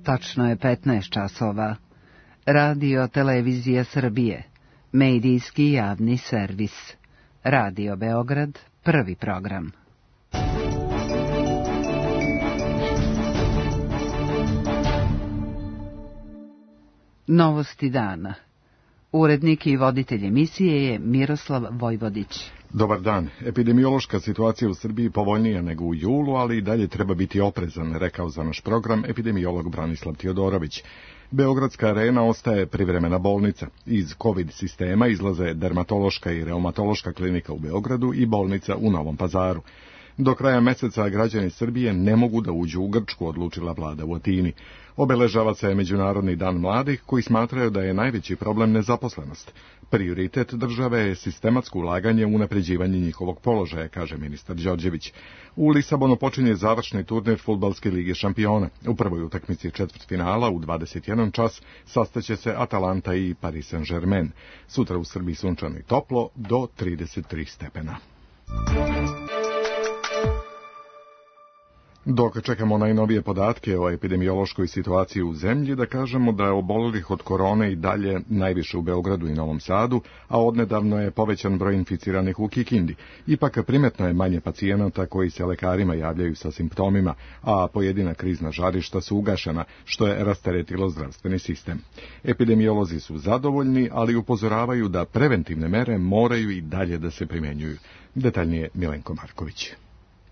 Tačno je 15 časova. Radio Televizija Srbije. Medijski javni servis. Radio Beograd, prvi program. Novosti dana. Urednik i voditelj emisije je Miroslav Vojvodić. Dobar dan. Epidemiološka situacija u Srbiji povoljnija nego u julu, ali i dalje treba biti oprezan, rekao za naš program epidemiolog Branislav Tiodorović. Beogradska arena ostaje privremena bolnica. Iz COVID sistema izlaze dermatološka i reumatološka klinika u Beogradu i bolnica u Novom Pazaru. Do kraja meseca građani Srbije ne mogu da uđu u Grčku, odlučila vlada u Atini. Obeležava se Međunarodni dan mladih, koji smatraju da je najveći problem nezaposlenost. Prioritet države je sistematsko ulaganje u unapređivanje njihovog položaja, kaže ministar Đorđević. U Lisabonu počinje završni turnir Fudbalske lige šampiona. U prvoj utakmici četvrtfinala u 21 čas sastaće se Atalanta i Paris Saint-Germain. Sutra u Srbiji sunčano i toplo do 33 stepena. Dok čekamo najnovije podatke o epidemiološkoj situaciji u zemlji, da kažemo da je obolelih od korone i dalje najviše u Beogradu i Novom Sadu, a odnedavno je povećan broj inficiranih u Kikindi. Ipak primetno je manje pacijenata koji se lekarima javljaju sa simptomima, a pojedina krizna žarišta su ugašena, što je rasteretilo zdravstveni sistem. Epidemiolozi su zadovoljni, ali upozoravaju da preventivne mere moraju i dalje da se primenjuju. Detaljnije Milenko Marković.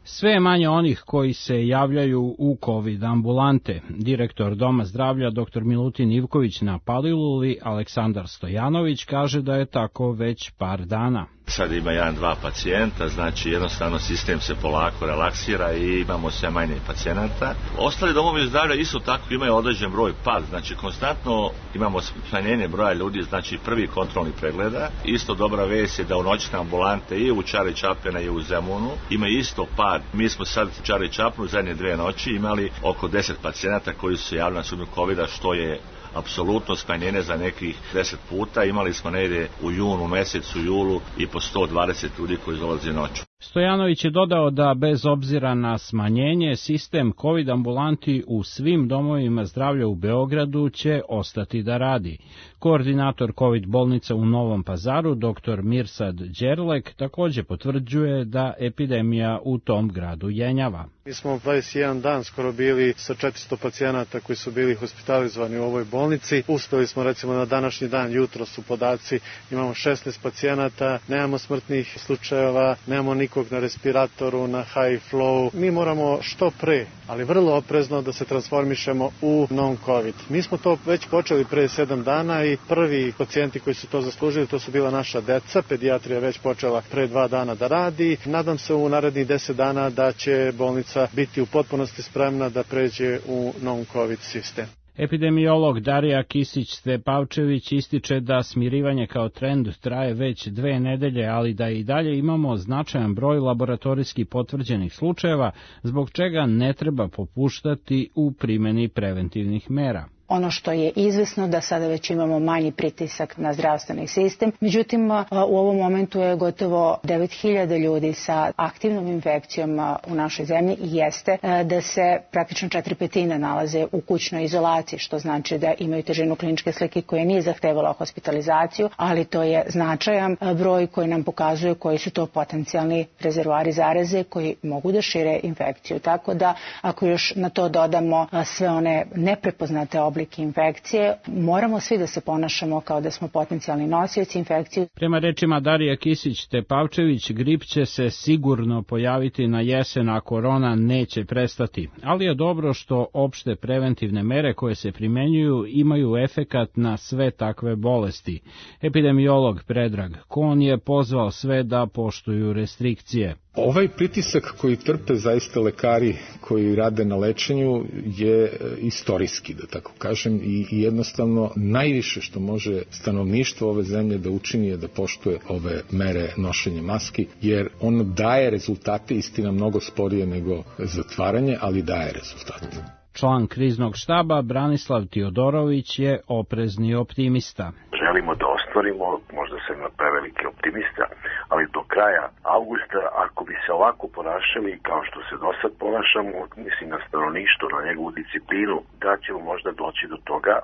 Sve je manje onih koji se javljaju u COVID ambulante. Direktor Doma zdravlja dr. Milutin Ivković na Paliluli, Aleksandar Stojanović, kaže da je tako već par dana. Sad ima 1-2 pacijenta, znači jednostavno sistem se polako relaksira i imamo sve manje pacijenata. Ostali domovi zdravlja isto tako imaju određen broj pad, znači konstantno imamo smanjenje broja ljudi, znači prvi kontrolni pregleda. Isto dobra vest je da u noćne ambulante i u Čari Čapljana i u Zemunu ima isto pad. Mi smo sad u Čari Čapljanu zadnje 2 noći imali oko 10 pacijenata koji su se javili na sumnju COVID-a, što je apsolutno smanjenje za nekih 10 puta. Imali smo negdje u junu mesecu, julu i po 120 ljudi koji dolaze noću. Stojanović je dodao da bez obzira na smanjenje, sistem COVID ambulanti u svim domovima zdravlja u Beogradu će ostati da radi. Koordinator COVID bolnica u Novom Pazaru, dr. Mirsad Đerlek, također potvrđuje da epidemija u tom gradu jenjava. Mi smo 21 dan skoro bili sa 400 pacijenata koji su bili hospitalizovani u ovoj bolnici. Uspeli smo recimo na današnji dan, jutro su podaci, imamo 16 pacijenata, nemamo smrtnih slučajeva, nemamo nikog na respiratoru, na high flow. Mi moramo što pre, ali vrlo oprezno da se transformišemo u non-COVID. Mi smo to već počeli pre 7 dana i prvi pacijenti koji su to zaslužili, to su bila naša deca. Pedijatrija već počela pre 2 dana da radi. Nadam se u narednih 10 dana da će bolnica biti u potpunosti spremna da pređe u non-COVID sistem. Epidemiolog Darija Kisić-Stepavčević ističe da smirivanje kao trend traje već 2 nedelje, ali da i dalje imamo značajan broj laboratorijski potvrđenih slučajeva, zbog čega ne treba popuštati u primjeni preventivnih mera. Ono što je izvesno da sada već imamo manji pritisak na zdravstveni sistem. Međutim, u ovom momentu je gotovo 9.000 ljudi sa aktivnom infekcijom u našoj zemlji i jeste da se praktično 4/5 nalaze u kućnoj izolaciji, što znači da imaju težinu kliničke slike koja nije zahtevala hospitalizaciju, ali to je značajan broj koji nam pokazuje koji su to potencijalni rezervoari zaraze koji mogu da šire infekciju. Tako da ako još na to dodamo sve one neprepoznate oblike infekcije, moramo svi da se ponašamo kao da smo potencijalni nosioci infekcije. Prema rečima Darija Kisić-Tepavčević, grip će se sigurno pojaviti na jesen, a korona neće prestati. Ali je dobro što opšte preventivne mere koje se primenjuju imaju efekat na sve takve bolesti. Epidemiolog Predrag Kon je pozvao sve da poštuju restrikcije. Ovaj pritisak koji trpe zaista lekari koji rade na lečenju je istorijski, da tako kažem, i jednostavno najviše što može stanovništvo ove zemlje da učini je da poštuje ove mere nošenja maski, jer ono daje rezultate, istina mnogo sporije nego zatvaranje, ali daje rezultate. Član kriznog štaba Branislav Tiodorović je oprezni optimista. Želimo da ostvarimo, možda sam preveliki optimista, ali do kraja avgusta, ako bi se ovako ponašali kao što se do sad ponašamo, mislim na stanovništvo, na njegovu disciplinu, da ćemo možda doći do toga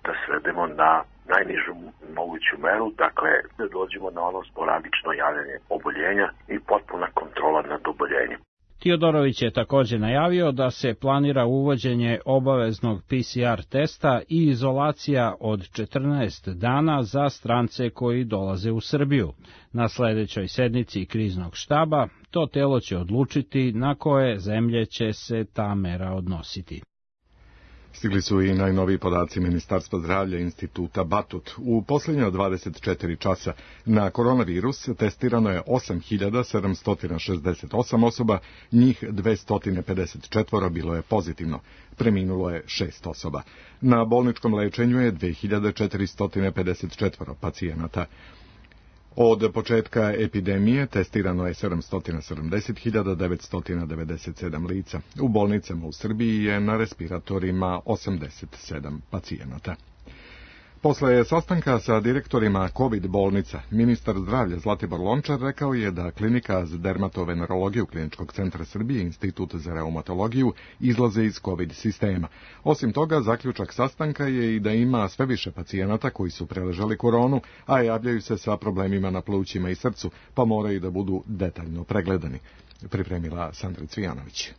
da svedemo na najnižu moguću meru, dakle da dođemo na ono sporadično javljanje oboljenja i potpuna kontrola nad oboljenjem. Tiodorović je također najavio da se planira uvođenje obaveznog PCR testa i izolacija od 14 dana za strance koji dolaze u Srbiju. Na sljedećoj sednici kriznog štaba to telo će odlučiti na koje zemlje će se ta mera odnositi. Stigli su i najnoviji podaci Ministarstva zdravlja Instituta Batut. U posljednje 24 časa na koronavirus testirano je 8.768 osoba, njih 254 bilo je pozitivno. Preminulo je 6 osoba. Na bolničkom lečenju je 2.454 pacijenata. Od početka epidemije testirano je 770.997 lica. U bolnicama u Srbiji je na respiratorima 87 pacijenata. Posle sastanka sa direktorima COVID bolnica, ministar zdravlja Zlatibor Lončar rekao je da klinika za dermatovenerologiju Kliničkog centra Srbije i Institut za reumatologiju izlaze iz COVID sistema. Osim toga, zaključak sastanka je i da ima sve više pacijenata koji su preležali koronu, a javljaju se sa problemima na plućima i srcu, pa moraju da budu detaljno pregledani. Pripremila Sandra Cvijanović.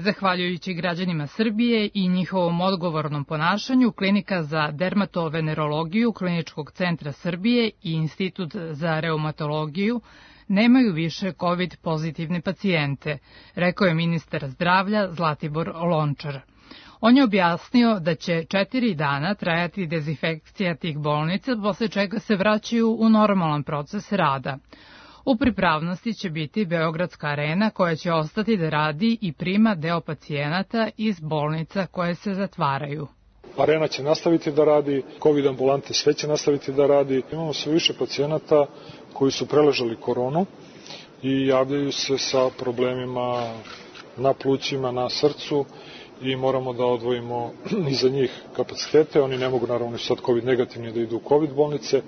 Zahvaljujući građanima Srbije i njihovom odgovornom ponašanju, Klinika za dermatovenerologiju Kliničkog centra Srbije i Institut za reumatologiju nemaju više COVID pozitivne pacijente, rekao je ministar zdravlja Zlatibor Lončar. On je objasnio da će 4 dana trajati dezinfekcija tih bolnica, posle čega se vraćaju u normalan proces rada. U pripravnosti će biti Beogradska arena koja će ostati da radi i prima deo pacijenata iz bolnica koje se zatvaraju. Arena će nastaviti da radi, COVID ambulante sve će nastaviti da radi. Imamo sve više pacijenata koji su preležali koronu i javljaju se sa problemima na plućima, na srcu i moramo da odvojimo i za njih kapacitete. Oni ne mogu naravno sad COVID negativni da idu u COVID bolnice,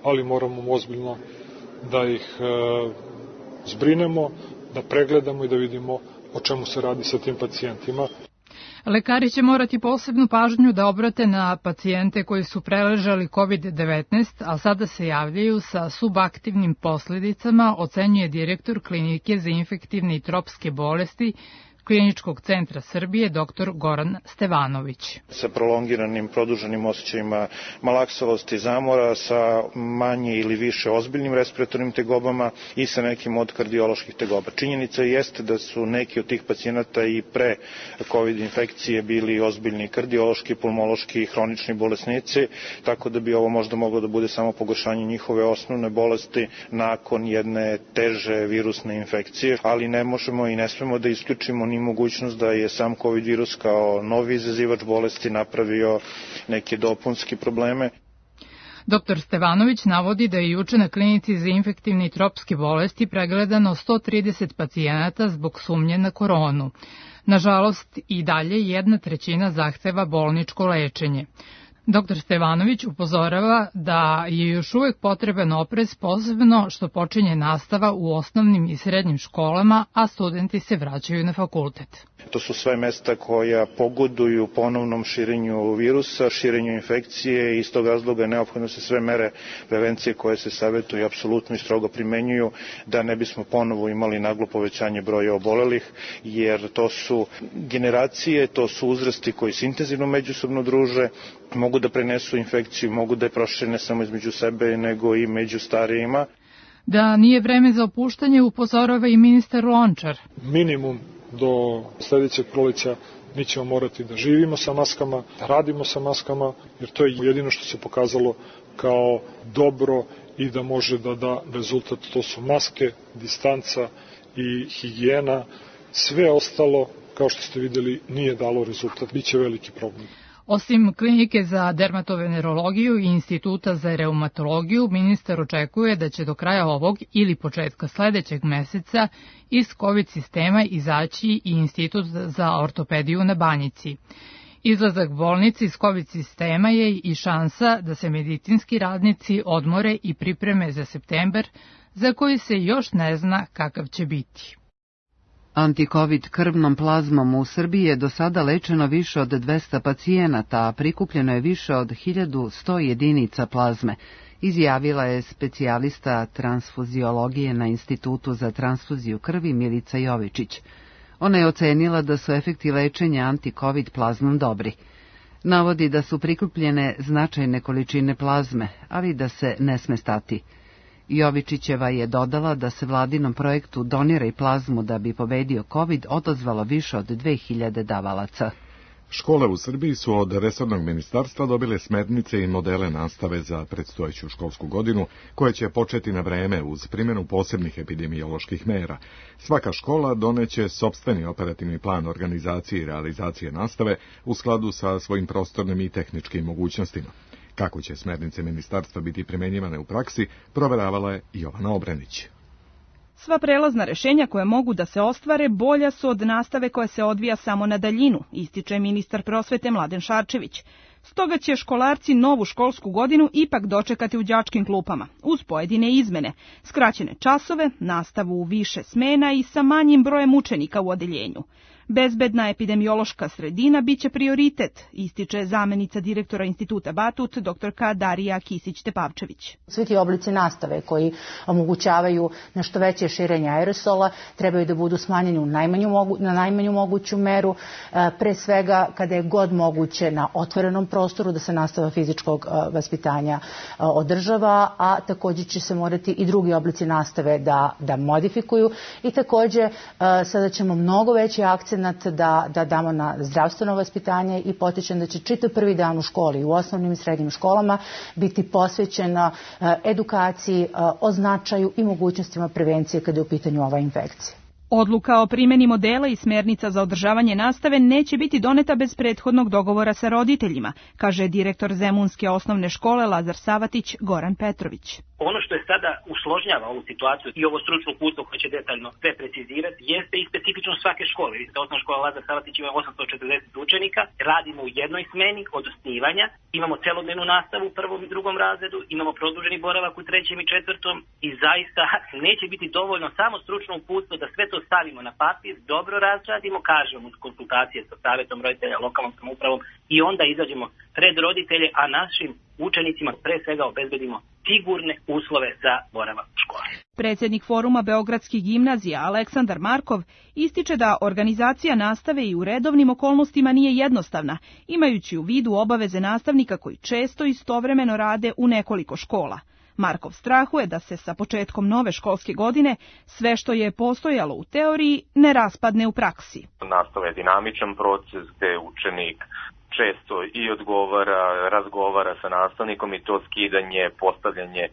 ali moramo ozbiljno da ih zbrinemo, da pregledamo i da vidimo o čemu se radi sa tim pacijentima. Lekari će morati posebnu pažnju da obrate na pacijente koji su preležali COVID-19, a sada se javljaju sa subaktivnim posljedicama, ocenjuje direktor Klinike za infektivne i tropske bolesti Kliničkog centra Srbije, dr. Goran Stevanović. Sa prolongiranim, produženim osjećajima malaksalosti, zamora, sa manje ili više ozbiljnim respiratornim tegobama i sa nekim od kardioloških tegoba. Činjenica jeste da su neki od tih pacijenata i pre COVID infekcije bili ozbiljni kardiološki, pulmološki i hronični bolesnici, tako da bi ovo možda moglo da bude samo pogoršanje njihove osnovne bolesti nakon jedne teže virusne infekcije, ali ne možemo i ne smemo da isključimo ni mogućnost da je sam COVID virus kao novi izazivač bolesti napravio neke dopunske probleme. Dr. Stevanović navodi da je juče na Klinici za infektivne i tropske bolesti pregledano 130 pacijenata zbog sumnje na koronu. Nažalost, i dalje 1/3 zahteva bolničko lečenje. Dr. Stevanović upozorava da je još uvek potreban oprez, posebno što počinje nastava u osnovnim i srednjim školama, a studenti se vraćaju na fakultet. To su sve mesta koja pogoduju ponovnom širenju virusa, širenju infekcije i iz tog razloga je neophodno se sve mere prevencije koje se savjetuju apsolutno i strogo primenjuju da ne bismo ponovo imali naglo povećanje broja obolelih, jer to su generacije, to su uzrasti koji se intenzivno međusobno druže, mogu da prenesu infekciju, mogu da je prošire ne samo između sebe, nego i među starijima. Da nije vreme za opuštanje, upozorava i ministar Lončar. Minimum do sledećeg proleća mi ćemo morati da živimo sa maskama, da radimo sa maskama, jer to je jedino što se pokazalo kao dobro i da može da da rezultat. To su maske, distanca i higijena. Sve ostalo, kao što ste videli, nije dalo rezultat. Biće veliki problem. Osim Klinike za dermatovenerologiju i Instituta za reumatologiju, ministar očekuje da će do kraja ovog ili početka sledećeg meseca iz COVID sistema izaći i Institut za ortopediju na Banjici. Izlazak bolnice iz COVID sistema je i šansa da se medicinski radnici odmore i pripreme za septembar, za koji se još ne zna kakav će biti. Antikovid krvnom plazmom u Srbiji je do sada lečeno više od 200 pacijenata, a prikupljeno je više od 1100 jedinica plazme, izjavila je specijalista transfuziologije na Institutu za transfuziju krvi Milica Jovičić. Ona je ocenila da su efekti lečenja antikovid plazmom dobri. Navodi da su prikupljene značajne količine plazme, ali da se ne sme stati. Jovičićeva je dodala da se vladinom projektu Doniraj plazmu da bi pobedio COVID odozvalo više od 2000 davalaca. Škole u Srbiji su od resornog ministarstva dobile smernice i modele nastave za predstojeću školsku godinu, koje će početi na vreme uz primjenu posebnih epidemioloških mera. Svaka škola doneće sopstveni operativni plan organizacije i realizacije nastave u skladu sa svojim prostornim i tehničkim mogućnostima. Kako će smernice ministarstva biti primenjivane u praksi, proveravala je Jovana Obrenić. Sva prelazna rešenja koje mogu da se ostvare bolja su od nastave koja se odvija samo na daljinu, ističe ministar prosvete Mladen Šarčević. Stoga će školarci novu školsku godinu ipak dočekati u đačkim klupama, uz pojedine izmene, skraćene časove, nastavu u više smena i sa manjim brojem učenika u odeljenju. Bezbedna epidemiološka sredina biće prioritet, ističe zamenica direktora Instituta Batut, dr. Darija Kisić-Tepavčević. Svi ti oblici nastave koji omogućavaju nešto veće širenje aerosola trebaju da budu smanjeni na najmanju moguću meru, pre svega kada je god moguće na otvorenom prostoru da se nastava fizičkog vaspitanja održava, a također će se morati i drugi oblici nastave da modifikuju i također sada ćemo mnogo veći akcent da damo na zdravstveno vaspitanje i potičem da će čitav prvi dan u školi, u osnovnim i srednjim školama biti posvećena edukaciji o značaju i mogućnostima prevencije kada je u pitanju ova infekcija. Odluka o primjeni modela i smjernica za održavanje nastave neće biti doneta bez prethodnog dogovora sa roditeljima, kaže direktor Zemunske osnovne škole Lazar Savatić Goran Petrović. Ono što je sada usložnjava ovu situaciju i ovo stručno uputstvo koje će detaljno sve precizirati jeste i specifičnost svake škole. Vidite, osnovna škola Lazar Savatić ima 840 učenika, radimo u jednoj smeni od osnivanja, imamo celodnevnu nastavu u prvom i drugom razredu, imamo produženi boravak u trećem i četvrtom i zaista neće biti dovoljno samo stručno uputstvo da sve to stavimo na papir, dobro razradimo, kažemo uz konsultacije sa savjetom roditelja, lokalnom samoupravom i onda izađemo pred roditelje, a našim učenicima pre svega obezbedimo sigurne uslove za boravak u školi. Predsjednik Foruma Beogradskih gimnazija Aleksandar Markov ističe da organizacija nastave i u redovnim okolnostima nije jednostavna, imajući u vidu obaveze nastavnika koji često istovremeno rade u nekoliko škola. Markov strahuje da se sa početkom nove školske godine sve što je postojalo u teoriji ne raspadne u praksi. Nastava je dinamičan proces gde učenik često i razgovara sa nastavnikom i to skidanje, postavljanje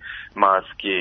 maski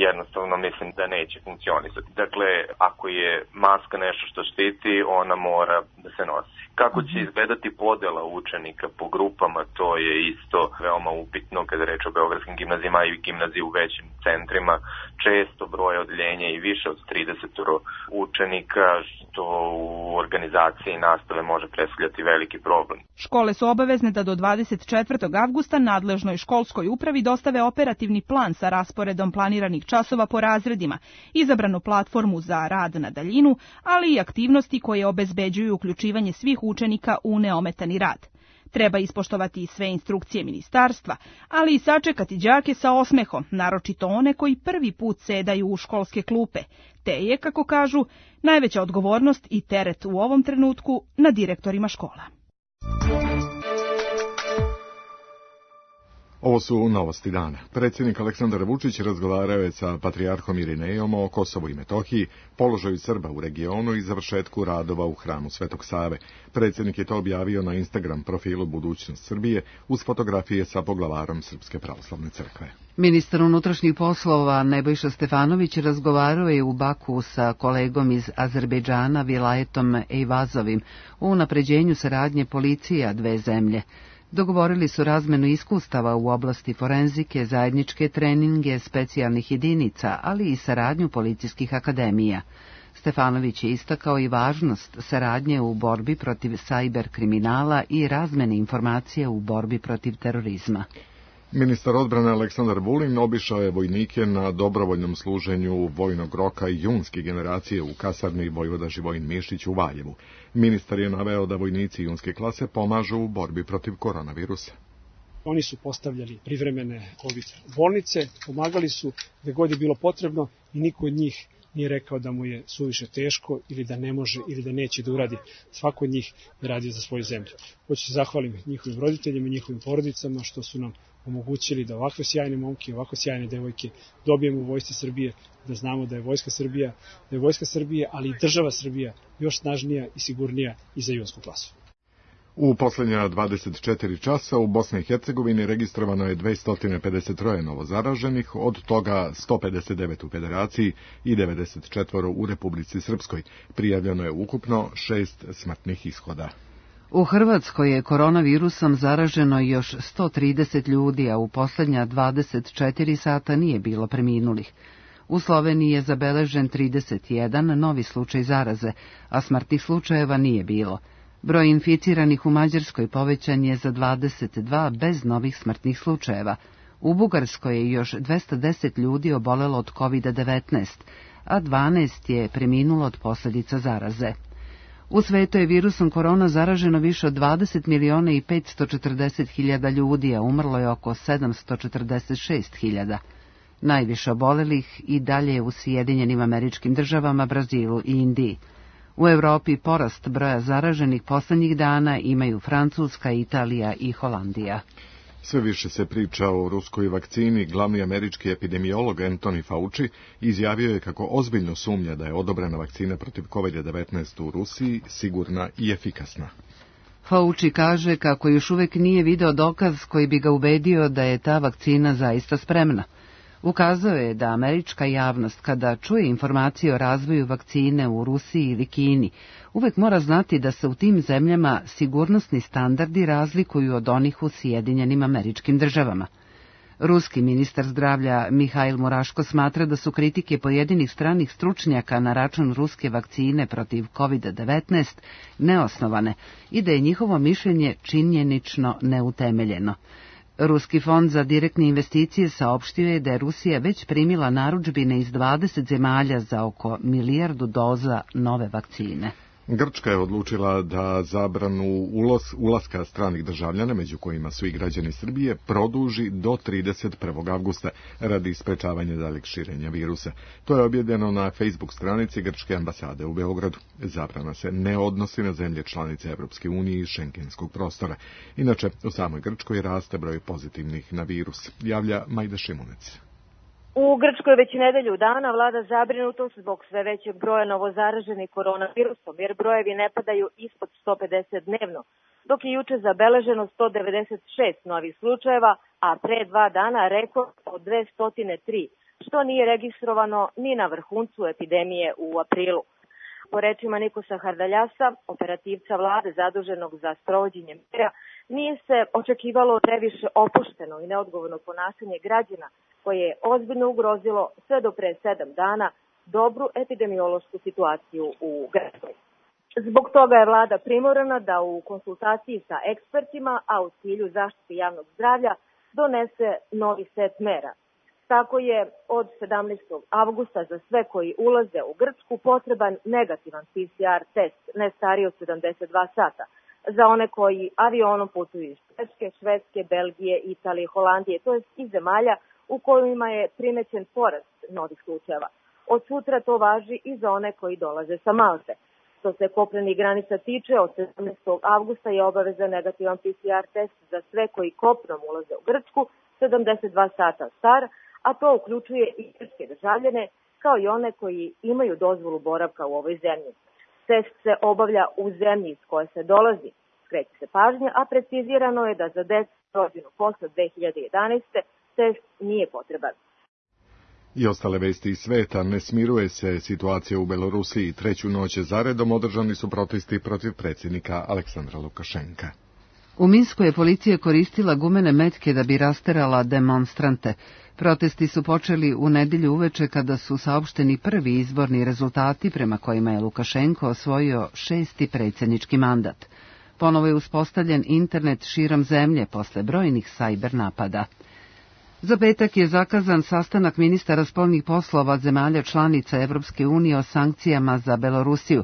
jednostavno mislim da neće funkcionisati. Dakle, ako je maska nešto što štiti, ona mora da se nosi. Kako će izgledati podela učenika po grupama, to je isto veoma upitno kada reč o beogradskim gimnazijama i gimnaziji u većim centrima. Često broje odeljenja i više od 30 učenika, što u organizaciji nastave može predstavljati veliki problem. Škole su obavezne da do 24. avgusta nadležnoj školskoj upravi dostave operativni plan sa rasporedom planiranih časova po razredima, izabranu platformu za rad na daljinu, ali i aktivnosti koje obezbeđuju uključivanje svih učenika u neometani rad. Treba ispoštovati sve instrukcije ministarstva, ali i sačekati đake sa osmehom, naročito one koji prvi put sedaju u školske klupe, te je, kako kažu, najveća odgovornost i teret u ovom trenutku na direktorima škola. Ovo su novosti dana. Predsjednik Aleksandar Vučić razgovarao je sa patrijarhom Irinejom o Kosovu i Metohiji, položaju Srba u regionu i završetku radova u hramu Svetog Save. Predsjednik je to objavio na Instagram profilu Budućnost Srbije uz fotografije sa poglavarom Srpske pravoslavne crkve. Ministar unutrašnjih poslova Nebojša Stefanović razgovarao je u Baku sa kolegom iz Azerbejdžana Vilajetom Ejvazovim o unapređenju saradnje policija dve zemlje. Dogovorili su razmenu iskustava u oblasti forenzike, zajedničke treninge specijalnih jedinica, ali i saradnju policijskih akademija. Stefanović je istakao i važnost saradnje u borbi protiv sajber kriminala i razmene informacija u borbi protiv terorizma. Ministar odbrane Aleksandar Vulin obišao je vojnike na dobrovoljnom služenju vojnog roka junske generacije u kasarni Vojvoda Živojin Mišić u Valjevu. Ministar je naveo da vojnici junske klase pomažu u borbi protiv koronavirusa. Oni su postavljali privremene COVID bolnice, pomagali su gde god je bilo potrebno i niko od njih nije rekao da mu je suviše teško ili da ne može ili da neće da uradi. Svako od njih je radio za svoju zemlju. Hoću se zahvalim njihovim roditeljima i njihovim porodicama što su nam omogućili da ovakve sjajne momke, ovakve sjajne devojke dobijemo u Vojsci Srbije, da znamo da je Vojska Srbije, ali i država Srbija još snažnija i sigurnija i za junsku klasu. U poslednja 24 časa u Bosni i Hercegovini registrovano je 253 novozaraženih, od toga 159 u Federaciji i 94 u Republici Srpskoj. Prijavljeno je ukupno 6 smrtnih ishoda. U Hrvatskoj je koronavirusom zaraženo još 130 ljudi, a u poslednja 24 sata nije bilo preminulih. U Sloveniji je zabeležen 31 novi slučaj zaraze, a smrtnih slučajeva nije bilo. Broj inficiranih u Mađarskoj povećan je za 22 bez novih smrtnih slučajeva. U Bugarskoj je još 210 ljudi obolelo od COVID-19, a 12 je preminulo od posljedica zaraze. U svetu je virusom korona zaraženo više od 20 miliona i 540 hiljada ljudi, a umrlo je oko 746 hiljada. Najviše obolelih i dalje je u Sjedinjenim Američkim Državama, Brazilu i Indiji. U Evropi porast broja zaraženih poslednjih dana imaju Francuska, Italija i Holandija. Sve više se priča o ruskoj vakcini. Glavni američki epidemiolog Anthony Fauci izjavio je kako ozbiljno sumnja da je odobrena vakcina protiv COVID-19 u Rusiji sigurna i efikasna. Fauci kaže kako još uvek nije video dokaz koji bi ga ubedio da je ta vakcina zaista spremna. Ukazao je da američka javnost, kada čuje informacije o razvoju vakcine u Rusiji ili Kini, uvek mora znati da se u tim zemljama sigurnosni standardi razlikuju od onih u Sjedinjenim Američkim Državama. Ruski ministar zdravlja Mihail Muraško smatra da su kritike pojedinih stranih stručnjaka na račun ruske vakcine protiv COVID-19 neosnovane i da je njihovo mišljenje činjenično neutemeljeno. Ruski fond za direktne investicije saopštio je da je Rusija već primila narudžbine iz 20 zemalja za oko 1 milijardu doza nove vakcine. Grčka je odlučila da zabranu ulaska stranih državljana, među kojima su i građani Srbije, produži do 31. avgusta radi sprečavanja daljeg širenja virusa. To je objavljeno na Facebook stranici Grčke ambasade u Beogradu. Zabrana se ne odnosi na zemlje članice Evropske unije i šengenskog prostora. Inače, u samoj Grčkoj raste broj pozitivnih na virus, javlja Majda Šimunec. U Grčkoj već nedelju dana vlada zabrinutost zbog sve većeg broja novozaraženih koronavirusom, jer brojevi ne padaju ispod 150 dnevno, dok je juče zabeleženo 196 novih slučajeva, a pre 2 dana rekord od 203, što nije registrovano ni na vrhuncu epidemije u aprilu. Po rečima Nikosa Hardaljasa, operativca vlade zaduženog za sprovođenje mera, nije se očekivalo previše opušteno i neodgovorno ponašanje građana, koje je ozbiljno ugrozilo sve do pre 7 dana dobru epidemiološku situaciju u Grčkoj. Zbog toga je vlada primorana da u konsultaciji sa ekspertima, a u cilju zaštite javnog zdravlja, donese novi set mera. Tako je od 17. avgusta za sve koji ulaze u Grčku potreban negativan PCR test, ne stariji od 72 sata. Za one koji avionom putuju iz Češke, Švedske, Belgije, Italije, Holandije, to je iz zemalja u kojima je primećen porast novih slučajeva. Od sutra to važi i za one koji dolaze sa Malte. Što se kopnenih granica tiče, od 17. avgusta je obaveza negativan PCR test za sve koji kopnom ulaze u Grčku, 72 sata star, a to uključuje i grčke državljane, kao i one koji imaju dozvolu boravka u ovoj zemlji. Test se obavlja u zemlji iz koje se dolazi, skreće se pažnja, a precizirano je da za decu rođenu posle 2011. test nije potreban. I ostale vesti iz sveta. Ne smiruje se situacija u Belorusiji. 3. noć zaredom održani su protesti protiv predsjednika Aleksandra Lukašenka. U Minsku je policija koristila gumene metke da bi rasterala demonstrante. Protesti su počeli u nedelju uveče kada su saopšteni prvi izborni rezultati prema kojima je Lukašenko osvojio 6. predsjednički mandat. Ponovo je uspostavljen internet širom zemlje posle brojnih sajber napada. Za petak je zakazan sastanak ministara spoljnih poslova zemalja članica Evropske unije o sankcijama za Belorusiju,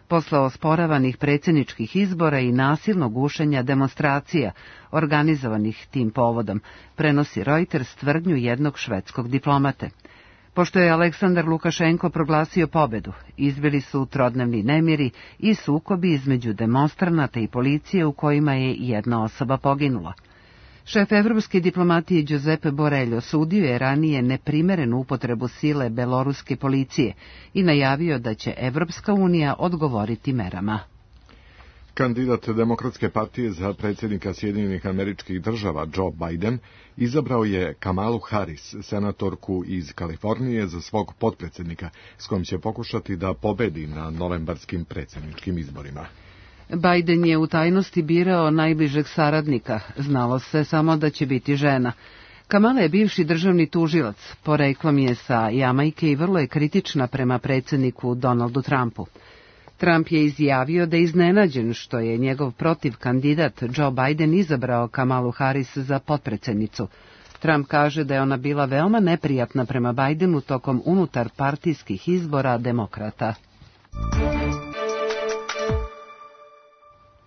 posle osporavanih predsjedničkih izbora i nasilnog gušenja demonstracija organizovanih tim povodom, prenosi Reuters tvrdnju jednog švedskog diplomate. Pošto je Aleksandar Lukašenko proglasio pobedu, izbili su trodnevni nemiri i sukobi između demonstranata i policije u kojima je jedna osoba poginula. Šef evropske diplomatije Giuseppe Borrell osudio je ranije neprimerenu upotrebu sile beloruske policije i najavio da će Evropska unija odgovoriti merama. Kandidat Demokratske partije za predsjednika Sjedinjenih Američkih Država Joe Biden izabrao je Kamalu Harris, senatorku iz Kalifornije, za svog potpredsjednika, s kojim će pokušati da pobedi na novembarskim predsjedničkim izborima. Biden je u tajnosti birao najbližeg saradnika, znalo se samo da će biti žena. Kamala je bivši državni tužilac, poreklom je sa Jamajke i vrlo je kritična prema predsjedniku Donaldu Trumpu. Trump je izjavio da je iznenađen što je njegov protivkandidat Joe Biden izabrao Kamalu Harris za potpredsjednicu. Trump kaže da je ona bila veoma neprijatna prema Bidenu tokom unutar partijskih izbora demokrata.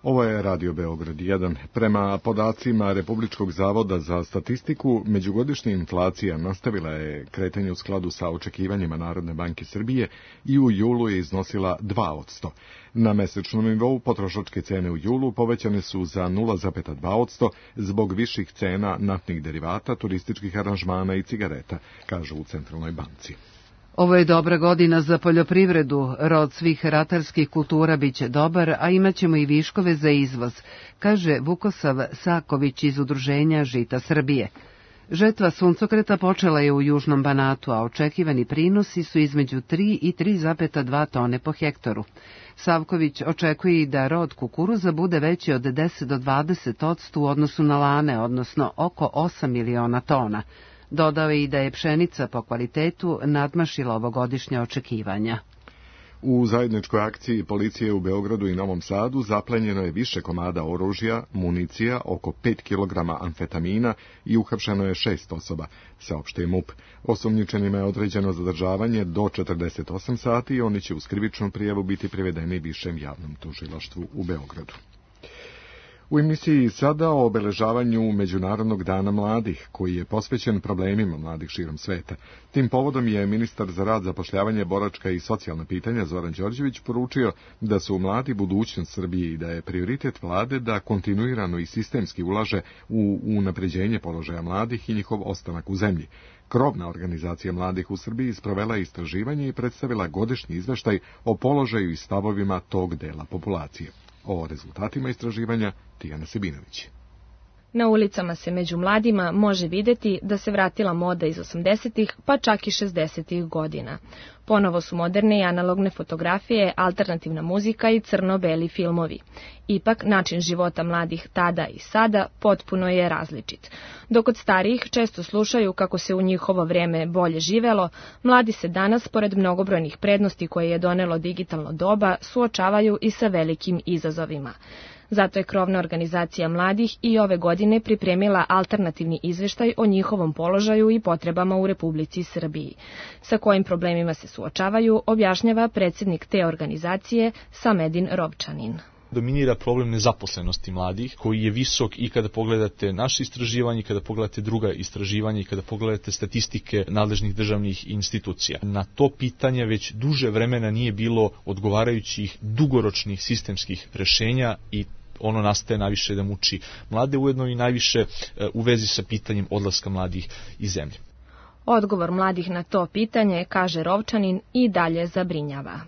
Ovo je Radio Beograd 1. Prema podacima Republičkog zavoda za statistiku, međugodišnja inflacija nastavila je kretanje u skladu sa očekivanjima Narodne banke Srbije i u julu je iznosila 2%. Na mesečnom nivou potrošačke cene u julu povećane su za 0,2% zbog viših cena naftnih derivata, turističkih aranžmana i cigareta, kažu u Centralnoj banci. Ovo je dobra godina za poljoprivredu, rod svih ratarskih kultura biće dobar, a imaćemo i viškove za izvoz, kaže Vukosav Saković iz Udruženja Žita Srbije. Žetva suncokreta počela je u Južnom Banatu, a očekivani prinosi su između 3 i 3,2 tone po hektaru. Savković očekuje i da rod kukuruza bude veći od 10 do 20% u odnosu na lane, odnosno oko 8 miliona tona. Dodao je i da je pšenica po kvalitetu nadmašila ovogodišnja očekivanja. U zajedničkoj akciji policije u Beogradu i Novom Sadu zaplenjeno je više komada oružja, municija, oko 5 kg amfetamina i uhapšeno je 6 osoba, saopštio MUP. Osumnjičenima je određeno zadržavanje do 48 sati i oni će uz krivičnu prijavu biti privedeni višem javnom tužilaštvu u Beogradu. U emisiji sada o obeležavanju Međunarodnog dana mladih, koji je posvećen problemima mladih širom sveta. Tim povodom je ministar za rad, zapošljavanje, boračka i socijalna pitanja Zoran Đorđević poručio da su mladi budućnost Srbije i da je prioritet vlade da kontinuirano i sistemski ulaže u unapređenje položaja mladih i njihov ostanak u zemlji. Krovna organizacija mladih u Srbiji sprovela je istraživanje i predstavila godišnji izveštaj o položaju i stavovima tog dela populacije. O rezultatima istraživanja Tijana Sebinović. Na ulicama se među mladima može vidjeti da se vratila moda iz 80-ih, pa čak i 60-ih godina. Ponovo su moderne i analogne fotografije, alternativna muzika i crno-beli filmovi. Ipak, način života mladih tada i sada potpuno je različit. Dok kod starijih često slušaju kako se u njihovo vrijeme bolje živelo, mladi se danas, pored mnogobrojnih prednosti koje je donelo digitalno doba, suočavaju i sa velikim izazovima. Zato je krovna organizacija mladih i ove godine pripremila alternativni izvještaj o njihovom položaju i potrebama u Republici Srbiji. Sa kojim problemima se suočavaju, objašnjava predsjednik te organizacije Samedin Rovčanin. Dominira problem nezaposlenosti mladih, koji je visok i kada pogledate naše istraživanje, i kada pogledate druga istraživanja i kada pogledate statistike nadležnih državnih institucija. Na to pitanje već duže vremena nije bilo odgovarajućih dugoročnih sistemskih rešenja i ono nastaje najviše da muči mlade, ujedno i najviše u vezi sa pitanjem odlaska mladih iz zemlje. Odgovor mladih na to pitanje, kaže Rovčanin, i dalje zabrinjava.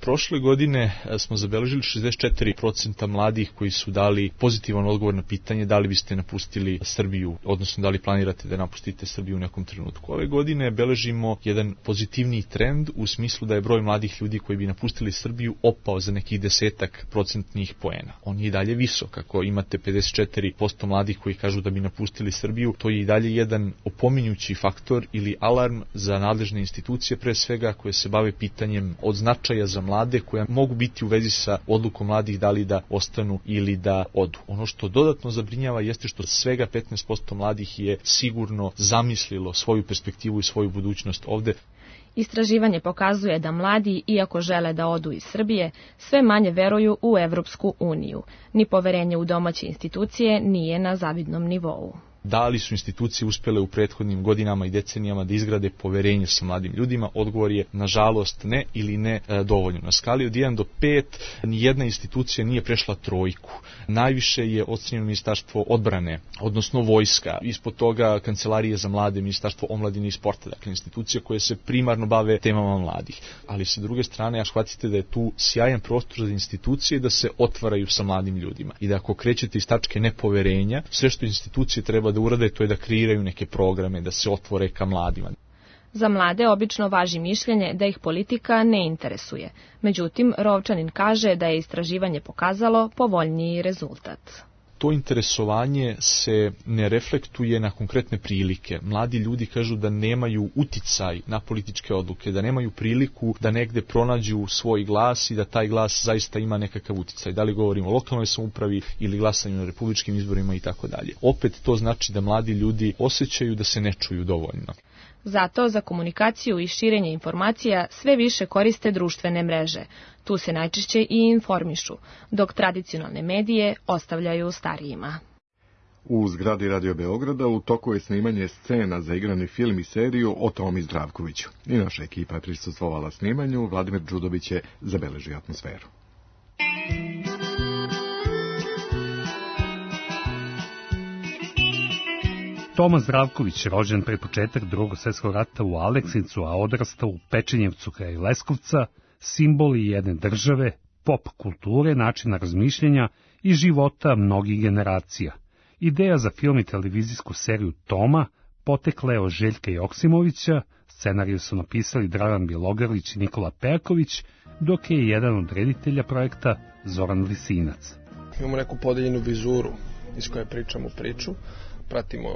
Prošle godine smo zabeležili 64% mladih koji su dali pozitivan odgovor na pitanje da li biste napustili Srbiju, odnosno da li planirate da napustite Srbiju u nekom trenutku. Ove godine beležimo jedan pozitivniji trend u smislu da je broj mladih ljudi koji bi napustili Srbiju opao za nekih 10% poena. On je i dalje visok. Ako imate 54% mladih koji kažu da bi napustili Srbiju, to je i dalje jedan opominjući faktor ili alarm za nadležne institucije, pre svega koje se bave pitanjem od značaja za mlade koja mogu biti u vezi sa odlukom mladih da li da ostanu ili da odu. Ono što dodatno zabrinjava jeste što svega 15% mladih je sigurno zamislilo svoju perspektivu i svoju budućnost ovde. Istraživanje pokazuje da mladi, iako žele da odu iz Srbije, sve manje veruju u Evropsku uniju. Ni poverenje u domaće institucije nije na zavidnom nivou. Da li su institucije uspjele u prethodnim godinama i decenijama da izgrade poverenje sa mladim ljudima? Odgovor je nažalost ne ili ne dovoljno. Na skali od 1 do 5 nijedna institucija nije prešla 3. Najviše je ocenjeno Ministarstvo odbrane, odnosno vojska. Ispod toga Kancelarije za mlade, Ministarstvo omladine i sporta, dakle institucije koje se primarno bave temama mladih. Ali sa druge strane, shvatite da je tu sjajan prostor za institucije da se otvaraju sa mladim ljudima. I da ako krećete iz tačke nepoverenja, sve što institucije treba da urade, to je da kreiraju neke programe, da se otvore ka mladima. Za mlade obično važi mišljenje da ih politika ne interesuje. Međutim, Rovčanin kaže da je istraživanje pokazalo povoljniji rezultat. To interesovanje se ne reflektuje na konkretne prilike. Mladi ljudi kažu da nemaju uticaj na političke odluke, da nemaju priliku da negde pronađu svoj glas i da taj glas zaista ima nekakav uticaj. Da li govorimo o lokalnoj samoupravi ili glasanju na republičkim izborima i tako dalje. Opet to znači da mladi ljudi osjećaju da se ne čuju dovoljno. Zato za komunikaciju i širenje informacija sve više koriste društvene mreže. Tu se najčešće i informišu, dok tradicionalne medije ostavljaju starijima. U zgradi Radio Beograda u toku je snimanje scena za igrani film i seriju o Tomi Zdravkoviću. I naša ekipa je prisustvovala snimanju, Vladimir Đudović je zabeležio atmosferu. Toma Zdravković, rođen pred početak Drugog svjetskog rata u Aleksincu, a odrastao u Pečenjevcu kraj Leskovca, simbol je jedne države, pop kulture, načina razmišljanja i života mnogih generacija. Ideja za film i televizijsku seriju Toma potekla je od Željka Joksimovića, scenariju su napisali Dragan Bjelogrlić i Nikola Perković, dok je jedan od reditelja projekta Zoran Lisinac. Imamo neku podeljenu vizuru iz koje pričamo priču. Pratimo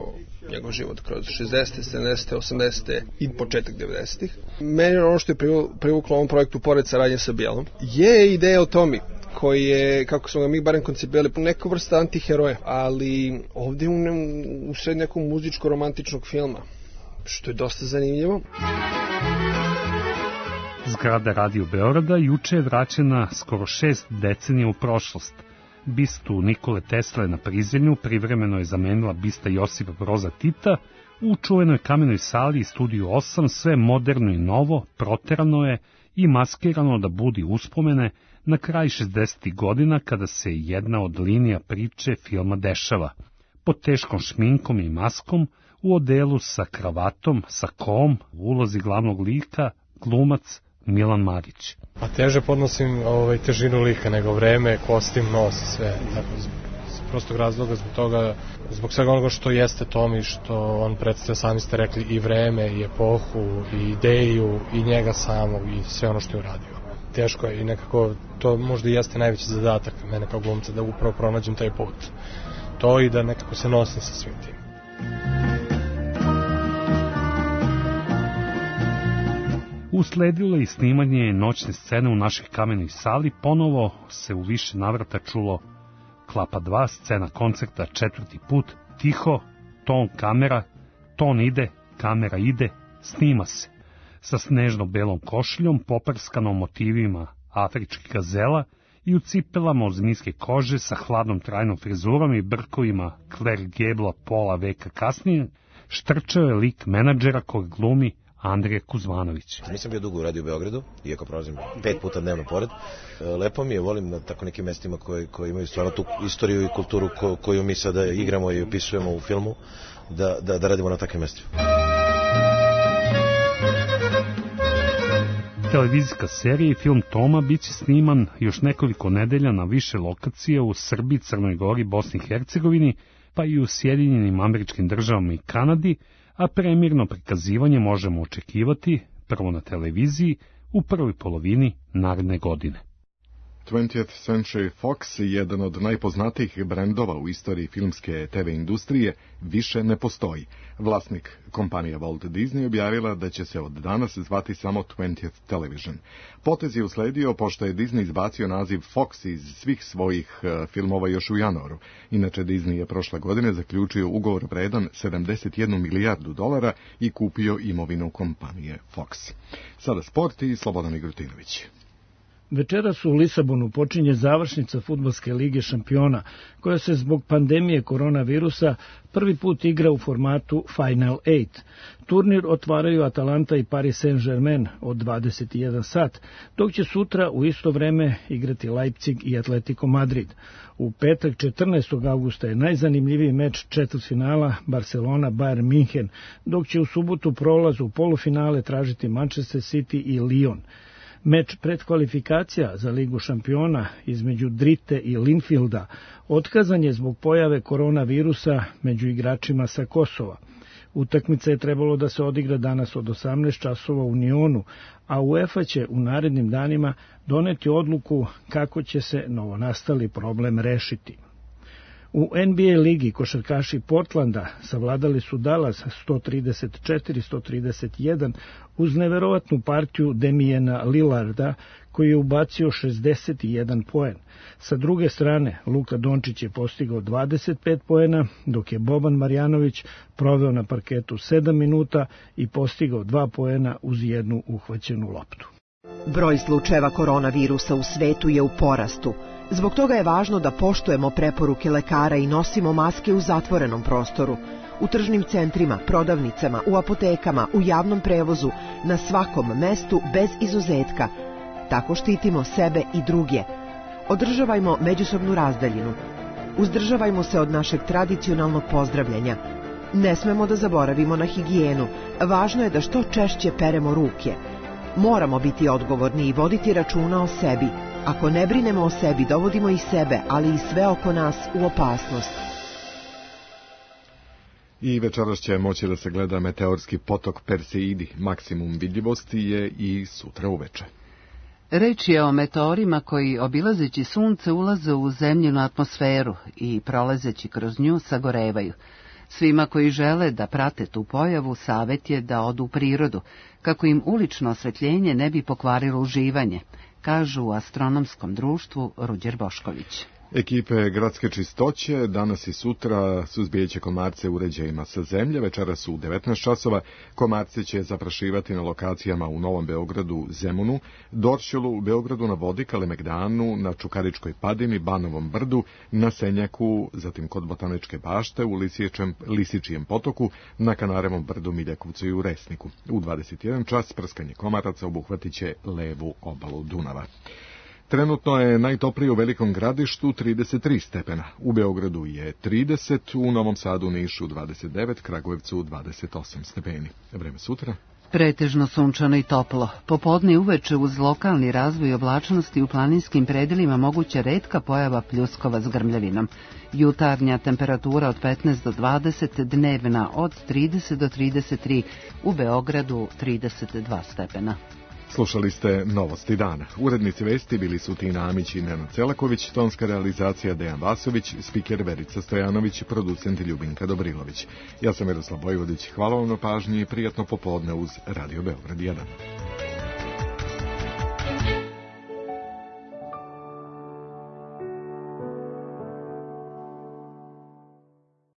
njegov život kroz 60. 70. 80. i početak 90. Meni ono što je privuklo ovom projektu, pored saradnje sa Bjelom, je ideja o Tomi, koji je, kako smo ga mi barem koncipirali, neka vrsta antiheroja, ali ovdje u sred nekog muzičko-romantičnog filma, što je dosta zanimljivo. Zgrada Radio Beograda juče je vraćena skoro 6 decenija u prošlost. Bistu Nikole Tesle na Prizrenju privremeno je zamenila bista Josipa Broza Tita. U čuvenoj kamenoj sali i studiju 8 sve moderno i novo, proterano je i maskirano da budi uspomene na kraj 60. godina kada se jedna od linija priče filma dešava. Pod teškom šminkom i maskom, u odelu sa kravatom, sa kom, u ulozi glavnog lika, glumac Milan Marić. Pa teže podnosim težinu lika nego vreme, kostim, nos i sve. Tako, iz prostog razloga zbog svega onoga što jeste Tomi, što on predstavlja, sami ste rekli, i vreme, i epohu, i ideju, i njega samog, i sve ono što je uradio. Teško je i nekako to možda i jeste najveći zadatak mene kao glumca, da upravo pronađem taj put. To i da nekako se nosim sa svim tim. Usledilo je i snimanje noćne scene u našoj kamenoj sali, ponovo se u više navrata čulo Klapa 2, scena koncerta 4. put, tiho, ton kamera, ton ide, kamera ide, snima se. Sa snežno-belom košuljom, poprskanom motivima afričkih gazela i u cipelama od zmijske kože sa hladnom trajnom frizurom i brkovima Claire Gabla pola veka kasnije, štrčao je lik menadžera kojeg glumi Andrija Kuzmanović. Nisam bio dugo u Radio Beogradu, iako prolazim 5 puta dnevno pored. Lepo mi je, volim na tako nekim mestima koji imaju stvarno tu istoriju i kulturu koju mi sada igramo i opisujemo u filmu, da radimo na takvim mestima. Televizijska serija i film Toma biće sniman još nekoliko nedelja na više lokacije u Srbiji, Crnoj Gori, Bosni i Hercegovini, pa i u Sjedinjenim Američkim Državama i Kanadi, a premijerno prikazivanje možemo očekivati prvo na televiziji u prvoj polovini naredne godine. 20th Century Fox, jedan od najpoznatijih brendova u istoriji filmske TV industrije, više ne postoji. Vlasnik kompanija Walt Disney objavila da će se od danas zvati samo 20th Television. Potez je usledio pošto je Disney izbacio naziv Fox iz svih svojih filmova još u januaru. Inače, Disney je prošle godine zaključio ugovor vredan $71 milijardu i kupio imovinu kompanije Fox. Sada sport i Slobodan Igrutinović. Večeras u Lisabonu počinje završnica fudbalske lige šampiona, koja se zbog pandemije koronavirusa prvi put igra u formatu Final 8. Turnir otvaraju Atalanta i Paris Saint-Germain od 21 sat, dok će sutra u isto vreme igrati Leipzig i Atletico Madrid. U petak 14. augusta je najzanimljiviji meč četvrtfinala Barcelona-Bayern München, dok će u subotu prolaz u polufinale tražiti Manchester City i Lyon. Meč predkvalifikacija za Ligu šampiona između Drite i Linfielda otkazan je zbog pojave koronavirusa među igračima sa Kosova. Utakmica je trebalo da se odigra danas od 18 časova u Nyonu, a UEFA će u narednim danima doneti odluku kako će se novonastali problem rešiti. U NBA ligi košarkaši Portlanda savladali su Dallas 134-131 uz neverovatnu partiju Damiana Lillarda koji je ubacio 61 poen. Sa druge strane, Luka Dončić je postigao 25 poena, dok je Boban Marjanović proveo na parketu 7 minuta i postigao 2 poena uz jednu uhvaćenu loptu. Broj slučajeva koronavirusa u svetu je u porastu. Zbog toga je važno da poštujemo preporuke lekara i nosimo maske u zatvorenom prostoru, u tržnim centrima, prodavnicama, u apotekama, u javnom prevozu, na svakom mestu bez izuzetka. Tako štitimo sebe i druge. Održavajmo međusobnu razdaljinu. Uzdržavajmo se od našeg tradicionalnog pozdravljanja. Ne smemo da zaboravimo na higijenu. Važno je da što češće peremo ruke. Moramo biti odgovorni i voditi računa o sebi. Ako ne brinemo o sebi, dovodimo i sebe, ali i sve oko nas u opasnost. I večeras će moći da se gleda meteorski potok Perseidi. Maksimum vidljivosti je i sutra uveče. Reč je o meteorima koji, obilazeći sunce, ulaze u zemljinu atmosferu i, prolazeći kroz nju, sagorevaju. Svima koji žele da prate tu pojavu, savet je da odu u prirodu, kako im ulično osvetljenje ne bi pokvarilo uživanje, kažu u astronomskom društvu Ruđer Bošković. Ekipe gradske čistoće danas i sutra suzbijeće komarce uređajima sa zemlje. Večeras u 19 časova komarce će zaprašivati na lokacijama u Novom Beogradu, Zemunu, Dorćolu, Beogradu na vodi, Kalemegdanu, na Čukaričkoj padini, Banovom brdu, na Senjaku, zatim kod Botaničke bašte, u Lisičijem potoku, na Kanarevom brdu, Miljakovcu i u Resniku. U 21 čas prskanje komaraca obuhvatit će levu obalu Dunava. Trenutno je najtoplije u Velikom Gradištu 33 stepena, u Beogradu je 30, u Novom Sadu, Nišu 29, Kragujevcu 28 stepeni. Vreme sutra? Pretežno sunčano i toplo. Popodne i uveče uz lokalni razvoj oblačnosti u planinskim predelima moguća retka pojava pljuskova s grmljavinom. Jutarnja temperatura od 15 do 20, dnevna od 30 do 33, u Beogradu 32 stepena. Slušali ste Novosti dana. Urednici vesti bili su Tina Amić i Nenad Celaković, tonska realizacija Dejan Vasović, spiker Verica Stojanović, producent Ljubinka Dobrilović. Ja sam Miroslav Bojvodić, hvala vam na pažnji i prijatno popodne uz Radio Beograd 1.